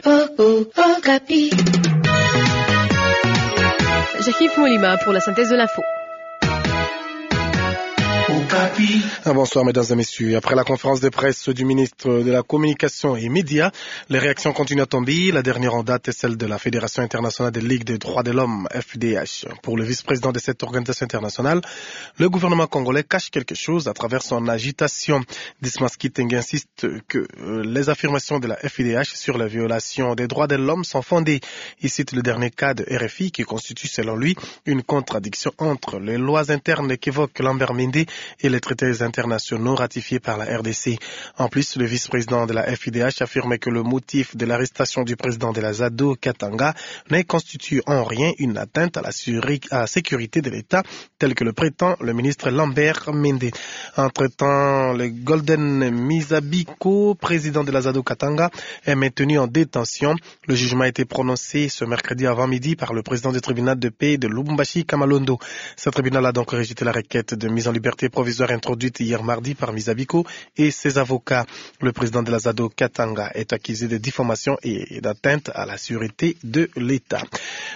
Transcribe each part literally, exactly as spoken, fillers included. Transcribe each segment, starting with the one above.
Jacques Molima pour la synthèse de l'info. Bonsoir mesdames et messieurs. Après la conférence de presse du ministre de la Communication et Médias, les réactions continuent à tomber. La dernière en date est celle de la Fédération internationale des Ligues des droits de l'homme, F D H. Pour le vice-président de cette organisation internationale, le gouvernement congolais cache quelque chose à travers son agitation. Dismas Kitenge insiste que les affirmations de la F D H sur la violation des droits de l'homme sont fondées. Il cite le dernier cas de R F I qui constitue selon lui une contradiction entre les lois internes qu'évoque Lambert Mende et les traités internationaux ratifiés par la R D C. En plus, le vice-président de la F I D H affirmait que le motif de l'arrestation du président de la ZADO Katanga ne constitue en rien une atteinte à la, à la sécurité de l'État, tel que le prétend le ministre Lambert Mende. Entre-temps, le Golden Misabiko, président de la ZADO Katanga, est maintenu en détention. Le jugement a été prononcé ce mercredi avant midi par le président du tribunal de paix de Lubumbashi Kamalondo. Ce tribunal a donc rejeté la requête de mise en liberté provisoire introduite hier mardi par Misabiko et ses avocats. Le président de la ZADO Katanga est accusé de diffamation et d'atteinte à la sûreté de l'État.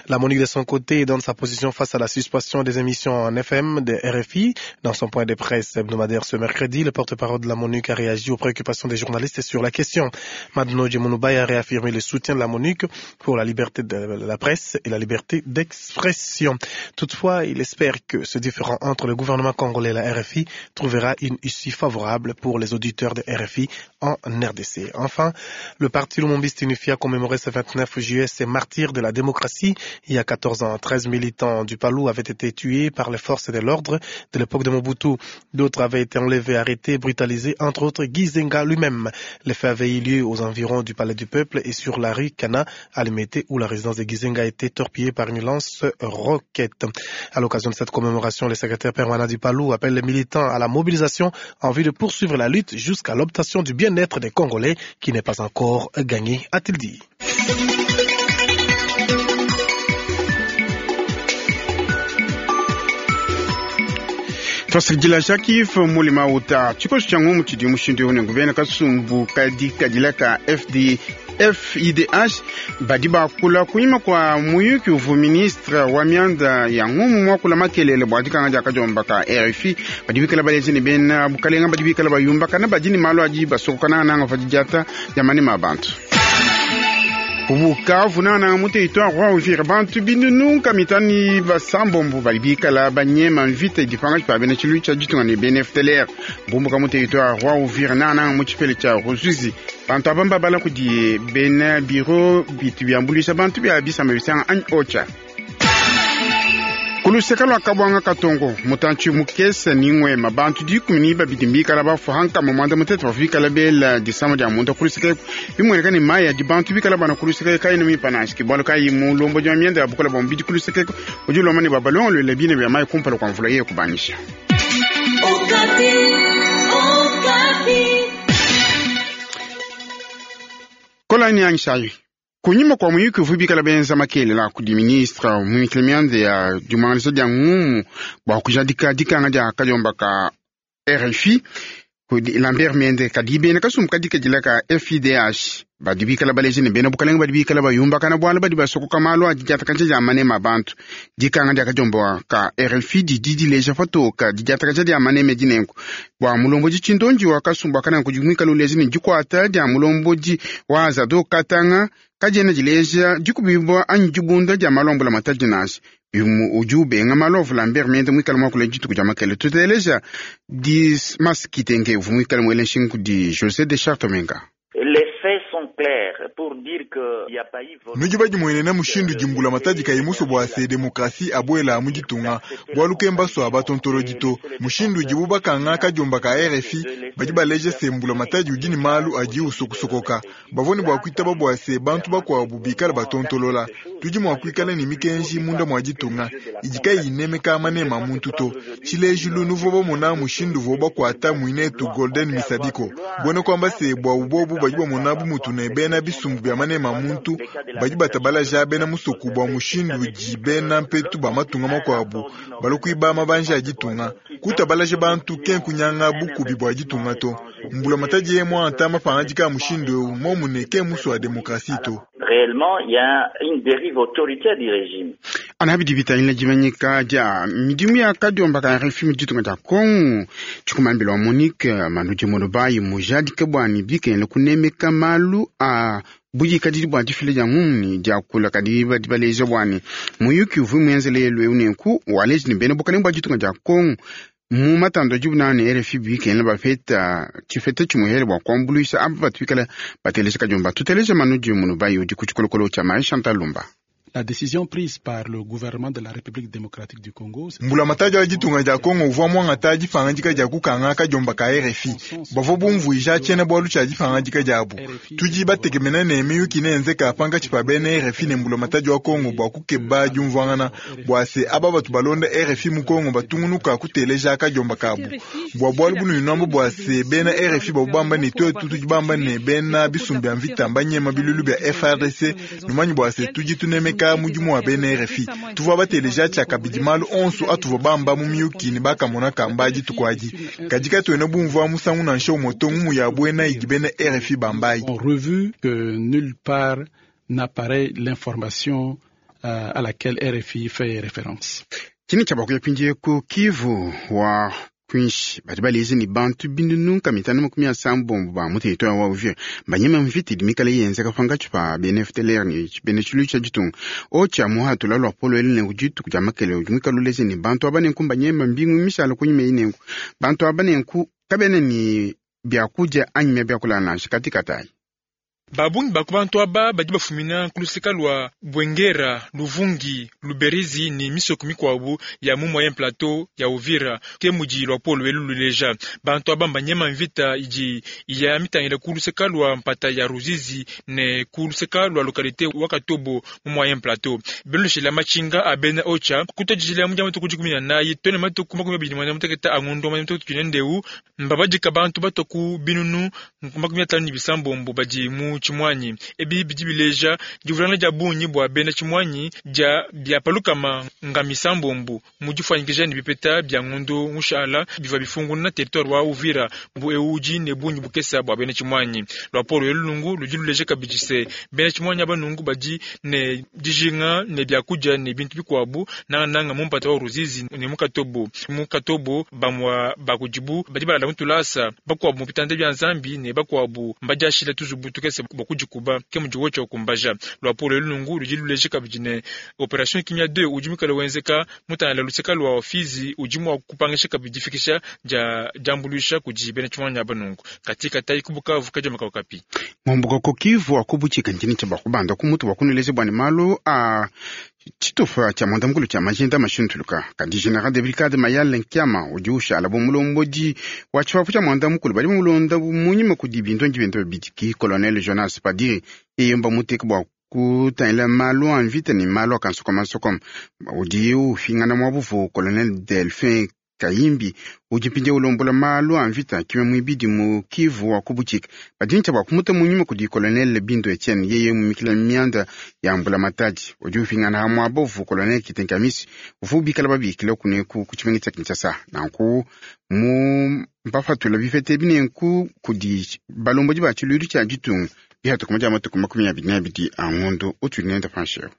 La MONUC de son côté donne sa position face à la suspension des émissions en F M de R F I. Dans son point de presse hebdomadaire ce mercredi, le porte-parole de la MONUC a réagi aux préoccupations des journalistes sur la question. Madno Djemounoubaye a réaffirmé le soutien de la MONUC pour la liberté de la presse et la liberté d'expression. Toutefois, il espère que ce différend entre le gouvernement congolais et la R F I trouvera une issue favorable pour les auditeurs de R F I en R D C. Enfin, le parti Lumumbiste Unifié a commémoré ce vingt-neuf juillet ses martyrs de la démocratie. Il y a quatorze ans, treize militants du Palou avaient été tués par les forces de l'ordre de l'époque de Mobutu. D'autres avaient été enlevés, arrêtés, brutalisés, entre autres Gizenga lui-même. Les faits avaient eu lieu aux environs du Palais du Peuple et sur la rue Kana à Limete, où la résidence de Gizenga a été torpillée par une lance-roquette. À l'occasion de cette commémoration, le secrétaire permanent du Palou appelle les militants à la mobilisation en vue de poursuivre la lutte jusqu'à l'obtention du bien-être des Congolais qui n'est pas encore gagné, a-t-il dit. Twasakidila Jacques Mulima uta tshikoso tshia ngumu tshidi mushindu eu nenku bena kasumbu kadi kadila ka F D F I D H badi bakula kunyima kwa muyuki uvu ministre wa mianda ya ngumu mwakula makelele bua dikanga dia kadiomba ka R F I badi bikala baleji ne bena bukalenga badi bikala bayumba kana badi ne malu adi basokokana nanga fa didiata dia manema a bantu. Bukavu nana mu territoire wa Uvira bantu binunu kamitani basambombo bali bikala banyema mvita dipanga pa bena tshilu tsha ditunga ne B N F T L R bumbuka mu territoire wa Uvira nana mu tshipele tsha Ruzizi bantu abamba bala kudi bena biro bitu byambulisha bantu bya bisamba bisanga anyi ocha Kuluseka lwa kabwanga katongo mutantshi mukese ningwe mabantu dikumi ni babidi mbikala bafu hanka mamanda mutete bafikala bela disama dia munda kuluseka bimweleka ni maya di bantu bikala bana kuluseka kai ni mipanashiki bwalo kai mu lombo dia myenda ya bukola bombi di kuluseka udi lomani babalongo le bine bya mai kumpala kwa mvula ye kubanisha. Okapi, Okapi. Kola ni angshayi. Kunyima kwa muyuki uvubikala benza makele la kudi ministre mumikile miande ya diumangaliso dia ngumu bua kujadika dikanga dia kadiomba ka R F I kudi Lambert Mende kadi bena kasumbu kadika dila ka F I D H badi bikala baleji ne bena bukalenga badi bikala bayumba kana bwala badi basokoka malu adi diatakaja dia manema bantu dikanga dia kadiomba ka R F I didi dileja patoka didiatakaja dia maneme dinenku bua mulombodi tshindonji wa kasumbu akana kudi mwikala uleji ne dikuata dia mulombodi wa Zado Katanga kadiena dileja dikubibwa anyi dibunda dia malombola matadi nasi bimu udi ubenga malovu Lambert Mende mwikala mwakula dituku dia makele tuteleja Dismas Kitenge uvu mwikala mwele nshingu di José de Chartomenga. Les faits sont clairs pour dire que y a pas eu volonté. Nuji badi mwenena mushindu jimbula matadi kayimuso bwa se demokrasi abwela mujitunga bwalu kemba so abatontolo dito mushindu jibu bakanga kajomba ka R F I badi baleje sembula matadi ujini malu aji usokusokoka bavoni bwa kwitaba bwa se bantu bakwa bubikala batontolola tuji mwa kwikala ni mikenji munda mwa jitunga ijika yinemeka manema muntu to chilejulu nuvo bomona mushindu vo bakwata mwinetu Golden Misabiko bone kwamba se bwa ubobu badi bamona bumutu ne bena bisumbu bya manema muntu badi batabala ja bena musoku bwa mushindu ji bena mpetu ba matunga makwabu balokwiba mabanja ya ditunga kutabalaje bantu kenkunyanga bukubi bwa ditunga to mbula matadi ye mwa anta mapanga dika mushindu eu momune ke muso wa demokrasi to. Réellement, il y a une dérive autoritaire du régime. Ana bidi bitangila dimanyika dia midimu ya kadiomba ka R F I mu ditunga dia Kongo tshikumambila wa Monique Manudi Mulobayi mujadike bwani bikengela kunemeka malu a budikadidi bua difila dia ngumuni dia kula kadi badi baleja bwani muyuki uvui muenzele yelu eu nenku waleji ni bena bukalenge bua ditunga dia Kongo mu matando adi bunani R F I bikengela bapeta tshifeta tshimuhele bua kuambuluisha aba batu bikala bateleja kadiomba tuteleja Manudi Mulobayi udi ku tshikolokolo tshia Marie Chantal Lumba. La décision prise par le gouvernement de la République démocratique du Congo. Mbulamatadi wa ditunga dia Kongo uvua muangata dipangadika dia kukanga kadiomba ka R F I bavua bumvuija tshiena bualu tshia dipangadika diabu. Tudi batekemena ne miyuki nenzeka pankatshi pa bena R F I ne mbulamatadi wa Kongo bua kukeba diumvuangana bua se aba batu balonda R F I mu Kongo batungunuka kuteleja kadiomba kabu. Bua bualu bunuyinambo bua se bena R F I babamba ne twetu tudi bamba ne bena bisumbu bia mvita mbanyema bilulu bia F R D C numanyi bua se tudi tunemeka mudimu wa bena R F I tuvua bateleja tshiakabidi malu onso atuvua bamba mu miyuki ne bakamona kamba dituku adi kadi katuena bumvua musangu nansha umue to ngumu ya buena idi bena R F I bambayi. On revu que nulle part n'apparaît l'information euh, à laquelle R F I fait référence. Chini cha bakuya pinje ku Kivu wa kwinshi badi balezi ni bantu bindu mitano makumi asambombo ba mu territoire wa Uvira banyema mvita idi mikale yenzeka pankatshi pa bena F D L R ni bena tshilu tshia ditunga otsha muhatula lua polo eli nenku dituku dia makele udi muikale uleze ni bantu aba nenku mbanyema mbingu mishala kunyima eyi nenku bantu aba nenku kabena ni biakudia anyi mia biakulala nansha katikatayi. Babungi bakubantu aba badi bafumina kuluseka lwa Bwengera, Luvungi, Luberizi ni misoko mikwabu ya mu Moyen Plateau ya Uvira ke mudi lwa polo elu luleja. Bantu aba mbanyema mvita idi ya mitangila kuluseka lwa mpata ya Ruzizi ne kuluseka lwa localité wa Katobo mu Moyen Plateau. Belushila machinga abena ocha kutojila mu jamu tukudi kumi na nayi tone matuku makumi abiri na muteketa angondo matuku tunendeu mbabadika bantu batoku binunu makumi atanu ni bisambombo badi mu chimwanyi ebi bidi bileja divulana dia bungi bua bena chimwanyi dia bia palukama nga misambombo mu difanyikija ne bipeta bia ngondo mushala biva bifunguna na territoire wa Uvira bu eudi ne bungi bukesa bua bena chimwanyi lwapolo elulungu ludi luleja kabidi se bena chimwanyi abanungu badi ne dijinga ne biakudia ne bintu bikuabu na nanga mu mpata wa Ruzizi ne mu Katobo mu Katobo bamwa bakudibu badi balala mutulasa bakuabu mu bitanda bia Nzambi ne bakuabu mbadiashila tuzubu tukese bakudikuba ke mudi wocha okumbaja lwapolo elulungu ludi luleja kabidi ne operation Kimia deux udi mukale wenzeka mutangala luseka lwa ofizi udi mwa kupangisha kabidi fikisha ja jambulisha kudi bena chimwanyi abanungu katika tai kubukavu kaja makaukapi ngombuka kokivu akubuchika nchini cha bakubanda kumutu wakuneleze bwani malu a tshitupa tshia mwandamukulu tshia majinda mashuntuluka kandi general de brigade Mayale Nkiama udi ushala bu mulombodi wa tshipapu tshia mwandamukulu badi mulonda munyima kudi bintu bintu bibidi colonel Jonas Padiri eyemba muteka bua kutangila malu a mvita ni malu a kansokomasokoma udi ufingana mwabuvu colonel Delphin Kayimbi udi mpindieu ulombola malu a mvita kimwe muibidi mu Kivu wa kubuchika badintsha bua kumuta munyuma kudi colonel Bindo Etienne yeye mumikila mianda ya mbula matadi udi ufingana hamwe abovu colonel Kitenkamisi uvu bikala babikila kuneku kutshimenga tshia Kinshasa nanku mu mpafatula bifete binenku kudi balombodi ba tshiluilu tshia ditunga bihatuku dia matuku makumi abidi na abidi a ngondo utudi nenda pansheo.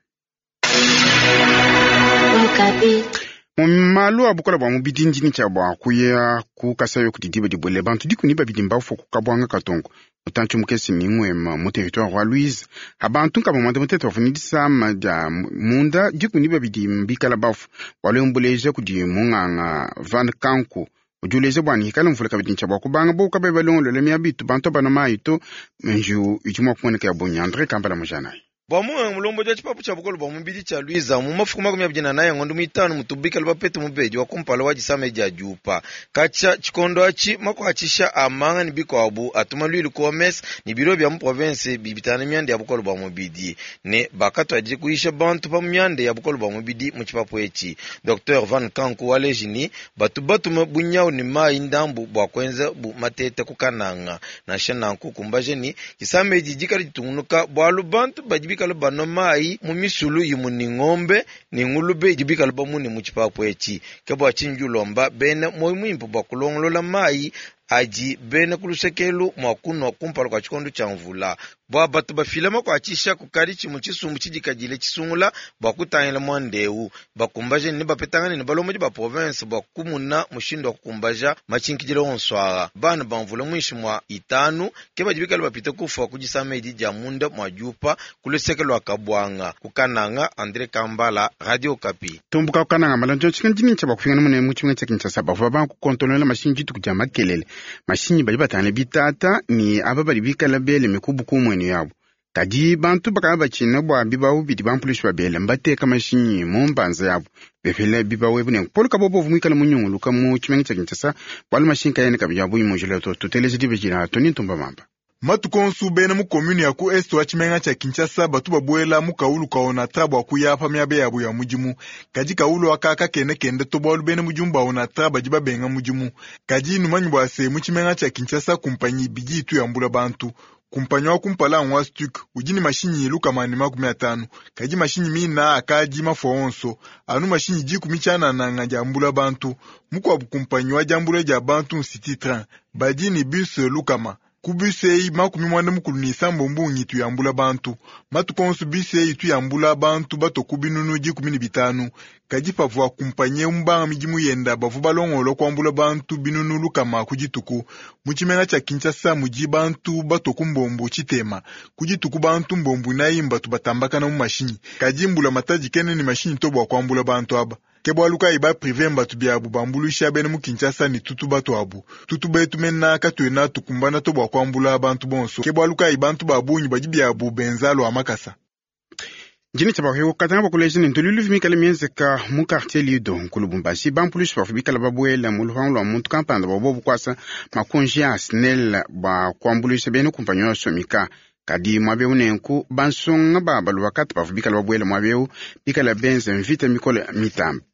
Malu a bukola bua mubidi ndini tshia bua kuya kukasayo kudi diba dibwele bantu dikuni babidi mbafu kukabwanga katongo mutantshu mukesi ni ngwema mu territoire wa Louise abantu nkaba mwanda mutete wafuni disama dia munda dikuni babidi mbikala bafu walombuleja kudi munganga Van Kanku udi uleja bua nihikala mvula kabidi ntshia bua kubanga bo kabe balongolola miabitu bantu bana mayi to nju idi mua kumoneka ya bonya Andre Kambala mujanayi. Bua munganga mulombodi wa tshipapu tshia bukolo bua mubidi tshia Luiza mu mafuku makumi abidi na naye ngondo muitanu mutubikala bapete mubedi wa kumpala wa disama dia diupa katshia tshikondo atshi makuatshisha a manga ne bikuabu atuma luilu ku O M S ne biro bia mu province bibitana mianda ya bukolo bua mubidi ne bakatuadije kuyisha bantu pa mianda ya bukolo bua mubidi mu tshipapu etshi. Docteur Van Kanku waleji ni batu batuma bunyawu ne mayi ndambu bua kuenza bu matete ku kananga nansha nanku kumbaje ni disama edi dikala ditungunuka bualu bantu badi bikala bano mayi mu misulu yimu ni ng'ombe ni ngulube idi bikala bamune mu tshipapu etshi ke bua tshinji ulomba bena moyo muimpe bua kulongolola mayi adi bena kulusekelu mua kunwa kumpala kua tshikondo tshia mvula Bua batu bafila makuatshisha kukadi tshimue tshisumbu tshidikadile tshisungula bua kutangila muanda eu. Bakumbaje ne bapetangane ne balombodi ba province bua kumuna mushindu wa kukumbaja matshinkidila onso aa. Bana bamvula muinshi mua itanu ke badi bikale bapita kufua ku disama edi dia munda mua diupa ku luseke lua Kabwanga. Ku Kananga, André Kambala, Radio Okapi. Tumbuka Kananga malonjo tshikandini tsha bakufingana mune mu tshimenga tsha Kinshasa bavua bakukontonola mashinyi dituku dia makelele. Mashinyi badi batangila bitata ni aba badi bikala bele mikubu ku mwenu yabo. Kadi bantu bakaba batshina bua bibawu bidi bampulushi babele mbateka mashinyi mu mbanza yabo bepele bibawu ebu nenku Paul Kabobo muikale munyunguluka mu tshimenga tsha Kinshasa bualu mashinyi kayene kabidi abuyi mujila to tuteleje dibe Tony Ntumba Mamba. Matuku onso bena mu commune ya ku est wa tshimenga tsha Kinshasa batu babuela mu kaulu ka Onatra bua kuya pa miaba yabo ya mudimu. Kadi kaulu aka kakene kende to bualu bena mudimu ba Onatra badi babenga mudimu. Kadi numanyi bua se mu tshimenga tsha Kinshasa kumpanyi ibidi itu yambula bantu. Kumpanyi wa kumpala ngwa Stuk udi ne mashinyi lukama ne makumi atanu. Kadi mashinyi mina akadi mafua onso anu mashinyi dikumi tshianana diambula bantu. Mukuabu kumpanyi wa diambula dia bantu City Train badi ne bus lukama. Ku bus eyi makumi mwanda mukulu ne isambombo ngitu yambula bantu. Matuku onso bus eyi itu yambula bantu bato ku binunu dikumi ne bitanu. Kadi pavua kumpanyi mbanga midimu yenda bavua balongolwa kuambula bantu binunu lukama ku dituku. Mu tshimenga tsha Kinshasa mudi bantu bato ku mbombo tshitema. Ku dituku bantu mbombo inayi mbatu batambakana mu mashinyi. Kadi mbula matadi kene ne mashinyi to bua kuambula bantu aba. Ke bualu kayi ba privé mbatu biabu bambuluisha bena mu Kinshasa ne tutu batu abu. Tutu betu mena katuena tukumbana to bua kuambula bantu bonso. Ke bualu kayi bantu ba bungi badi biabu benza lua makasa. Njini tsha bakwe katanga bakuleja ne ntululu mikale mienzeka mu quartier Lido ku Lubumbashi bampulushi bavua bikala babuela mu lupangu lua muntu kampanda bua bobu kuasa makunji a SNEL bua kuambuluisha bena kumpanyi wa Somika. Kadi muaba nenku bansonga ba balubakata bavua bikala babuela muaba eu bikala benza mvita mikole mitamba.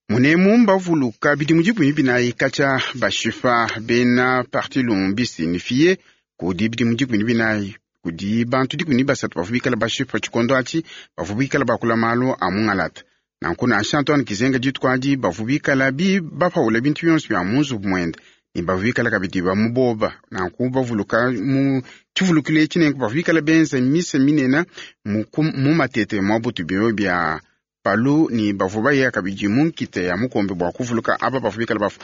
Munemu mbavuluka bidimu dikumi binayi katshia bashipa bena parti Lumbisi ni fiye kudi bidimu dikumi binayi kudi bantu dikumi basatu bavua bikala bashipa tshikondo atshi bavua bikala bakula malu a mungalata. Nanku nansha Antoine Gizenga dituku adi bavua bikala bi bapaula bintu bionso bia mu nzubu muende ne bavua bikala kabidi bamuboba. Nanku bavuluka mu tshivulukilo etshi nenku bavua bikala benza misa minene mu, mu matete mua butu bio bia palu ni bavua baya kabidi mu nkita ya mukombe bua kuvuluka aba bavua bikala bafu.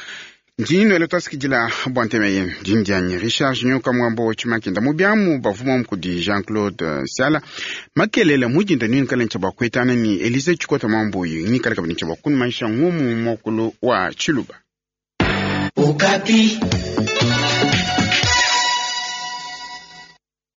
Ndini nwele twasikidila bua ntema yenu. Ndini dianyi Richard Junior Kamwambo wa Tshimakinda mu biamu bavua mukudi Jean-Claude Siala makelele mudinda nini kala ntsha bua kuetana ni Elise Tshikota Mwambuyi ni kala kabidi ntsha bua kunumanisha ngumu mokulu wa Tshiluba. Okapi.